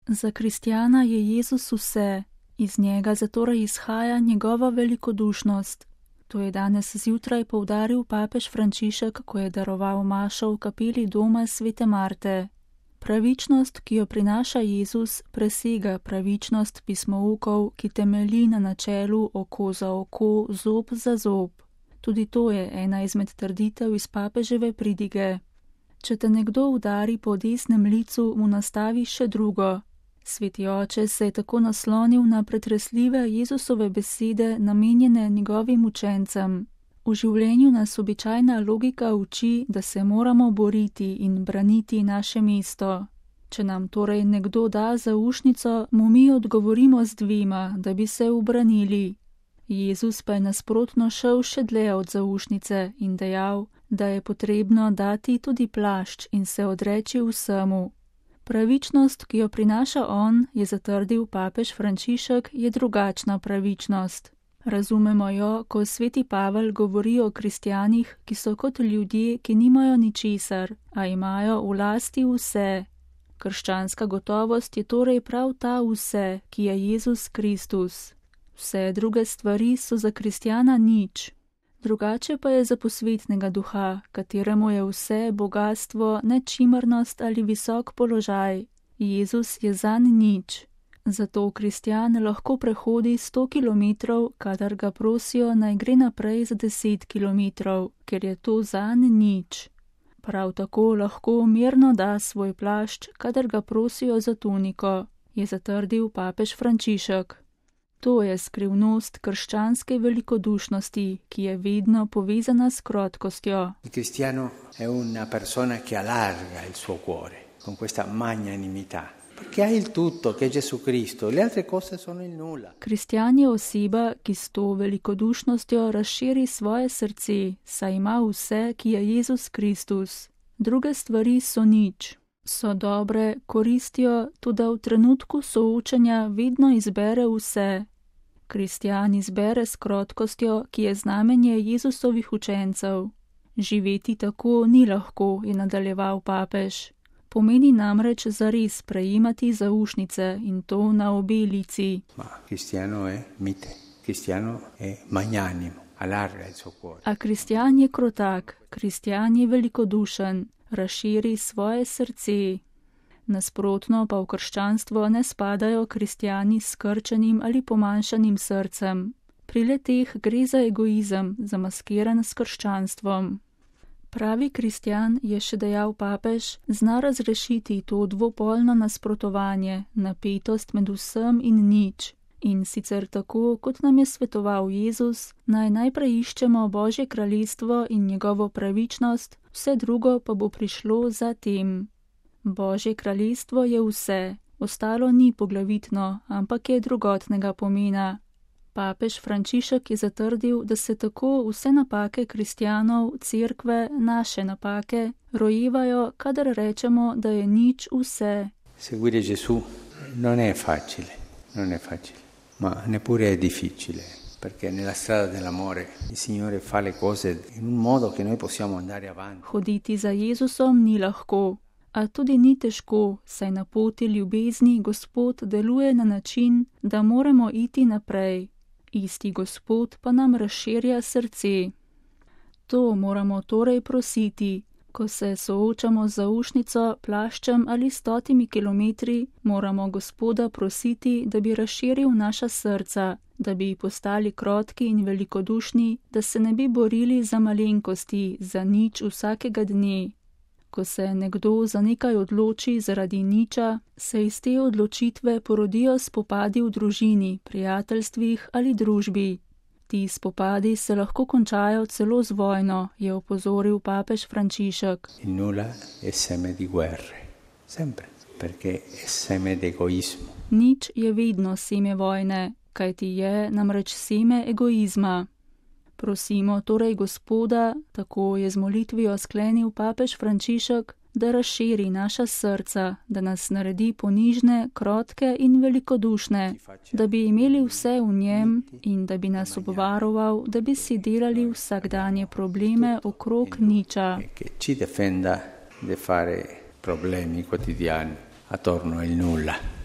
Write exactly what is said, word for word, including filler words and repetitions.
Za kristjana je Jezus vse, iz njega zatorej izhaja njegova velikodušnost. To je danes zjutraj poudaril papež Frančišek, ko je daroval mašo v kapeli doma svete Marte. Pravičnost, ki jo prinaša Jezus, presega pravičnost pismoukov, ki temelji na načelu oko za oko, zob za zob. Tudi to je ena izmed trditev iz papeževe pridige. Če te nekdo udari po desnem licu, mu nastavi še drugo. Sveti oče se je tako naslonil na pretresljive Jezusove besede, namenjene njegovim učencem. V življenju nas običajna logika uči, da se moramo boriti in braniti naše mesto. Če nam torej nekdo da zaušnico, mu mi odgovorimo z dvema, da bi se ubranili. Jezus pa je nasprotno šel še dlje od zaušnice in dejal, da je potrebno dati tudi plašč in se odreči vsemu. Pravičnost, ki jo prinaša on, je zatrdil papež Frančišek, je drugačna pravičnost. Razumemo jo, ko sveti Pavel govori o kristjanih, ki so kot ljudje, ki nimajo ničesar, a imajo v lasti vse. Krščanska gotovost je torej prav ta vse, ki je Jezus Kristus. Vse druge stvari so za kristjana nič. Drugače pa je za posvetnega duha, kateremu je vse bogastvo, nečimrnost ali visok položaj. Jezus je zanj nič. Zato kristjan lahko prehodi sto kilometrov, kadar ga prosijo, naj gre naprej za deset kilometrov, ker je to zanj nič. Prav tako lahko mirno da svoj plašč, kadar ga prosijo za tuniko, je zatrdil papež Frančišek. To je skrivnost krščanske velikodušnosti, ki je vedno povezana s krotkostjo. Il cristiano è una persona che allarga il suo cuore con questa magnanimità, perché ha il tutto, che è Gesù Cristo, le altre cose sono il nulla. Kristjan je oseba, ki s to velikodušnostjo razširi svoje srce, saj ima vse, ki je Jezus Kristus. Druge stvari so nič. So dobre, koristijo, tudi v trenutku soočenja vedno izbere vse. Kristjan izbere s krotkostjo, ki je znamenje Jezusovih učencev. Živeti tako ni lahko, je nadaljeval papež. Pomeni namreč zares prejemati zaušnice in to na obe lici. Ma kristjano je mite, kristjano je magnanimo, allarga il suo cuore. A kristjan je krotak, kristjan je velikodušen. Razširi svoje srce. Nasprotno pa v krščanstvo ne spadajo kristjani s skrčenim ali pomanjšanim srcem. Pri le-teh gre za egoizem, zamaskiran s krščanstvom. Pravi kristjan, je še dejal papež, zna razrešiti to dvopolno nasprotovanje, napetost med vsem in nič. In sicer tako, kot nam je svetoval Jezus, naj najprej iščemo Božje kraljestvo in njegovo pravičnost, vse drugo pa bo prišlo za tem. Božje kraljestvo je vse, ostalo ni poglavitno, ampak je drugotnega pomena. Papež Frančišek je zatrdil, da se tako vse napake kristjanov, cerkve, naše napake, rojevajo, kadar rečemo, da je nič vse. Seguire Gesù non è facile, non è facile, ma neppure è difficile. Perché nella strada dell'amore il Signore fa le cose in un modo che noi possiamo andare avanti. Hoditi za Jezusom ni lahko, a tudi ni težko, saj na poti ljubezni Gospod deluje na način, da moramo iti naprej. Isti Gospod pa nam razširja srce. To moramo torej prositi. Ko se soočamo z zaušnico, plaščem ali stotimi kilometri, moramo Gospoda prositi, da bi razširil naša srca, da bi postali krotki in velikodušni, da se ne bi borili za malenkosti, za nič vsakega dne. Ko se nekdo za nekaj odloči zaradi niča, se iz te odločitve porodijo spopadi v družini, prijateljstvih ali družbi. Ti spopadi se lahko končajo celo z vojno, je opozoril papež Frančišek. Il nulla è seme di guerre, sempre, perché è seme d'egoismo. Nič je vedno seme vojne, kajti je namreč seme egoizma. Prosimo torej Gospoda, tako je z molitvijo sklenil papež Frančišek, da razširi naša srca, da nas naredi ponižne, krotke in velikodušne, da bi imeli vse v njem in da bi nas obvaroval, da bi si delali vsakdanje probleme okrog niča. Che ci difenda di fare problemi quotidiani attorno al nulla.